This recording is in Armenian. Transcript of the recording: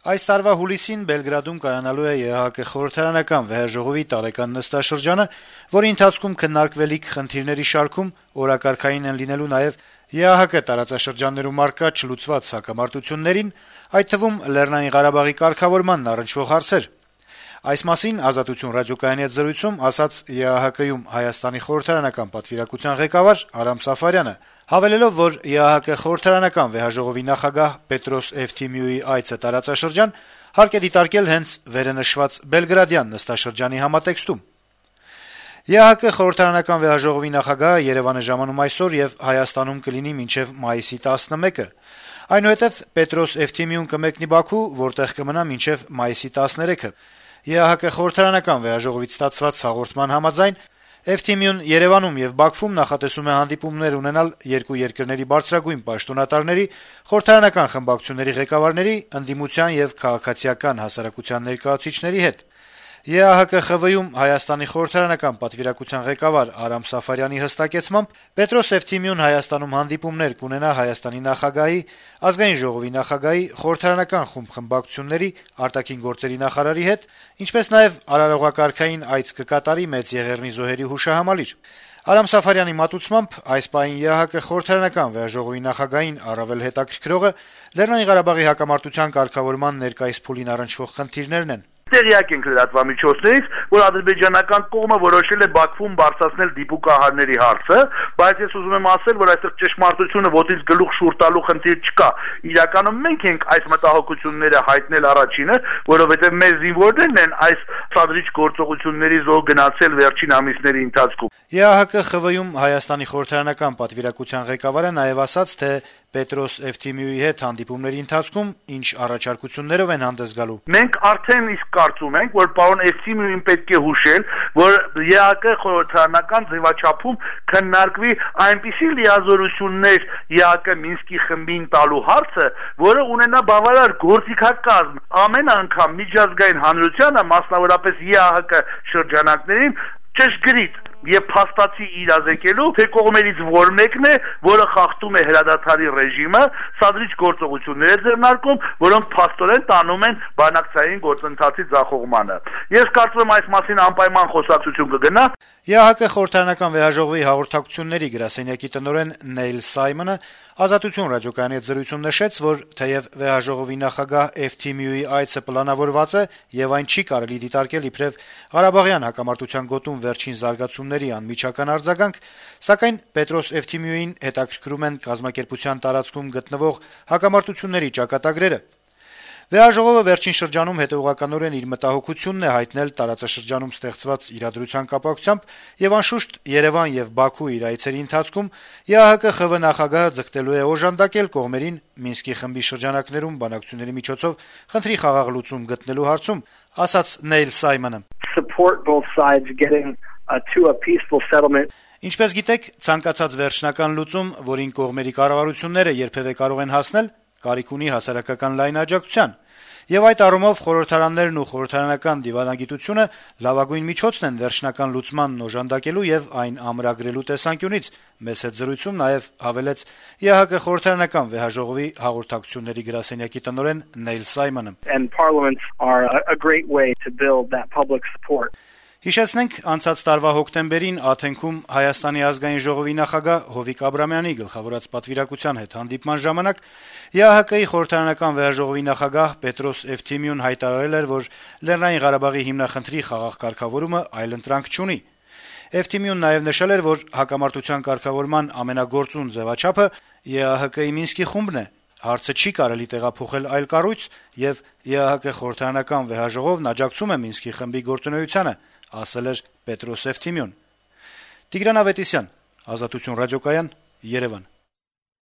Այս տարվա հուլիսին Բելգրադում կայանալու է ԵԱՀԿ խորհրդարանական վեհաժողովի տարեկան նստաշրջանը, որի ընթացքում քննարկվելիք խնդիրների շարքում օրակարգային են լինելու նաեւ ԵԱՀԿ տարածաշրջաններում առկա չլուծված հակամարտություններին, այդ թվում Լեռնային Ղարաբաղի կարգավորմանն առնչվող հարցեր։ Այս մասին «Ազատություն» ռադիոկայանի հետ զրույցում ասաց ԵԱՀԿ-ում Հայաստանի խորհրդարանական պատվիրակության ղեկավար Արամ Սաֆարյանը, հավելելով, որ ԵԱՀԿ խորհրդարանական վեհաժողովի նախագահ Պետրոս Էվթիմիուի այցը տարածաշրջան հարկ է դիտարկել հենց վերը նշված Բելգրադյան նստաշրջանի համատեքստում։ ԵԱՀԿ խորհրդարանական վեհաժողովի նախագահը Երեւան է ժամանում այսօր եւ Հայաստանում կլինի մինչեւ մայիսի 11-ը։ Այնուհետեւ Պետրոս Էվթիմիուն կմեկնի Բաքու, որտեղ կմնա մինչեւ մայիսի 13-ը։ ԵԱՀԿ խորհրդարանական վեհաժողովից ստացված հաղորդման համաձայն Էվթիմիուն Երեւանում եւ Բաքվում նախատեսում է հանդիպումներ ունենալ երկու երկրների բարձրագույն պաշտոնատարների, խորհրդարանական խմբակցությունների ղեկավարների, ընդդիմության եւ քաղաքացիական հասարակության ներկայացուցիչների հետ։ ԵԱՀԿ ԽՎ-ում Հայաստանի խորհրդարանական պատվիրակության ղեկավար Արամ Սաֆարյանի հստակեցմամբ Պետրոս Էվթիմիուն Հայաստանում հանդիպումներ կունենա Հայաստանի նախագահի, ազգային ժողովի նախագահի, խորհրդարանական խումբ խմբակցությունների, արտաքին գործերի նախարարի հետ, ինչպես նաեւ արարողակարգային այց կկատարի Մեծ Եղեռնի զոհերի հուշահամալիր։ Արամ Սաֆարյանի մատուցմամբ այս պահին ԵԱՀԿ խորհրդարանական վեհաժողովի նախագահին առավել հետաքրքրողը Լեռնային Ղարաբաղի հակամարտության կարգավորման ներկայիս փուլին առնչվող խնդիրներն են։ Տեղյակ ենք լրատվամիջոցներից, որ ադրբեջանական կողմը որոշել է Բաքվում բարձրացնել դիպուկահարների հարցը, բայց ես ուզում եմ ասել, որ այստեղ ճշմարտությունը ոտից գլուխ շուռ տալու խնդիր չկա։ Իրականում մենք ենք այս մտահոգությունները հայտնել առաջինը, որովհետև մեր զինվորներն են այս սադրիչ գործողությունների զոհ գնացել վերջին ամիսների ընթացքում։ ԵԱՀԿ ԽՎ-ում Հայաստանի խորհրդարանական պատվիրակության ղեկավարը նաև ասաց, թե Պետրոս Էվթիմիուի հետ հանդիպումների ընթացքում ինչ առաջարկություններով են հանդես գալու։ Մենք արդեն իսկ կարծում ենք, որ պարոն Էվթիմիուին պետք է հուշել, որ ԵԱՀԿ խորհրդարանական ձևաչափում քննարկվի այնպիսի լիազորություններ ԵԱՀԿ Մինսկի խմբին տալու հարցը, որը ունենա բավարար գործիքակազմ ամեն անգամ միջազգային հանրությանը, մասնավորապես ԵԱՀԿ շրջանակներին ճշգրիտ եւ փաստացի իրազեկելու, թե կողմերից որ մեկն է, որը խախտում է հրադադարի ռեժիմը, սադրիչ գործողություններ է ձեռնարկում, որոնք փաստորեն տանում են բանակցային գործընթացի ձախողմանը։ Ես կարծում եմ այս մասին անպայման խոսակցություն կգնա։ ԵԱՀԿ խորհրդարանական վեհաժողովի հաղորդակցությունների գրասենյակի տնօրեն Նեյլ Սայմոնը «Ազատություն» ռադիոկայանի հետ զրույցում նշեց, որ թեև վեհաժողովի նախագահ Էվթիմիուի այցը պլանավորված է եւ այն չի կարելի դիտարկել իբրև Ղարաբաղյան հակամարտության գոտում վերջին զարգացումների անմիջական արձագանք, սակայն Պետրոս Էվթիմիուին հետաքրքրում են կազմակերպության տարածքում գտնվող հակամարտությունների ճակատագրերը։ Վեհաժողովը վերջին շրջանում հետեւողականորեն իր մտահոգությունն է հայտնել տարածաշրջանում ստեղծված իրադրության կապակցությամբ եւ անշուշտ Երեւան եւ Բաքու իր այցերի ընթացքում ԵԱՀԿ ԽՎ նախագահը ձգտելու է օժանդակել կողմերին Մինսկի խմբի շրջանակներում բանակցությունների միջոցով խնդրի խաղաղ լուծում գտնելու հարցում, ասաց Նեյլ Սայմոնը։ Ինչպես գիտեք, ցանկացած վերջնական լուծում, որին կողմերի կառավարությունները երբևէ կարող են հասնել, կարիք ունի հասարակական լայն աջակցության, եւ այդ առումով խորհրդարաններն ու խորհրդարանական դիվանագիտությունը լավագույն միջոցն են վերջնական լուծմանն օժանդակելու եւ այն ամրագրելու տեսանկյունից, մեծ հետ զրույցում նաեւ հավելեց ԵԱՀԿ խորհրդարանական վեհաժողովի հաղորդակցությունների գրասենյակի տնօրեն Նեյլ Սայմոնը։ Հիշեցնենք, անցած տարվա հոկտեմբերին Աթենքում Հայաստանի ազգային ժողովի նախագահ Հովիկ Աբրամյանի գլխավորած պատվիրակության հետ հանդիպման ժամանակ ԵԱՀԿ-ի խորհրդարանական վեհաժողովի նախագահ Պետրոս Էվթիմիուն հայտարարել էր, որ Լեռնային Ղարաբաղի հիմնախնդրի խաղաղ կարգավորումը այլընտրանք չունի։ Էվթիմիուն նաև նշել էր, որ հակամարտության կարգավորման ամենագործուն ձևաչափը ԵԱՀԿ-ի Մինսկի խումբն է։ Հարցը չի կարելի տեղափոխել այլ կառույց, եւ ԵԱՀԿ խորհրդարանական վեհաժողովն աջակցում է Մինսկի խմբի գործունեությանը, ասել էր Պետրոս Էվթիմիուն։ Տիգրան Ավետիսյան, Ազատություն ռադիոկայան, Երևան։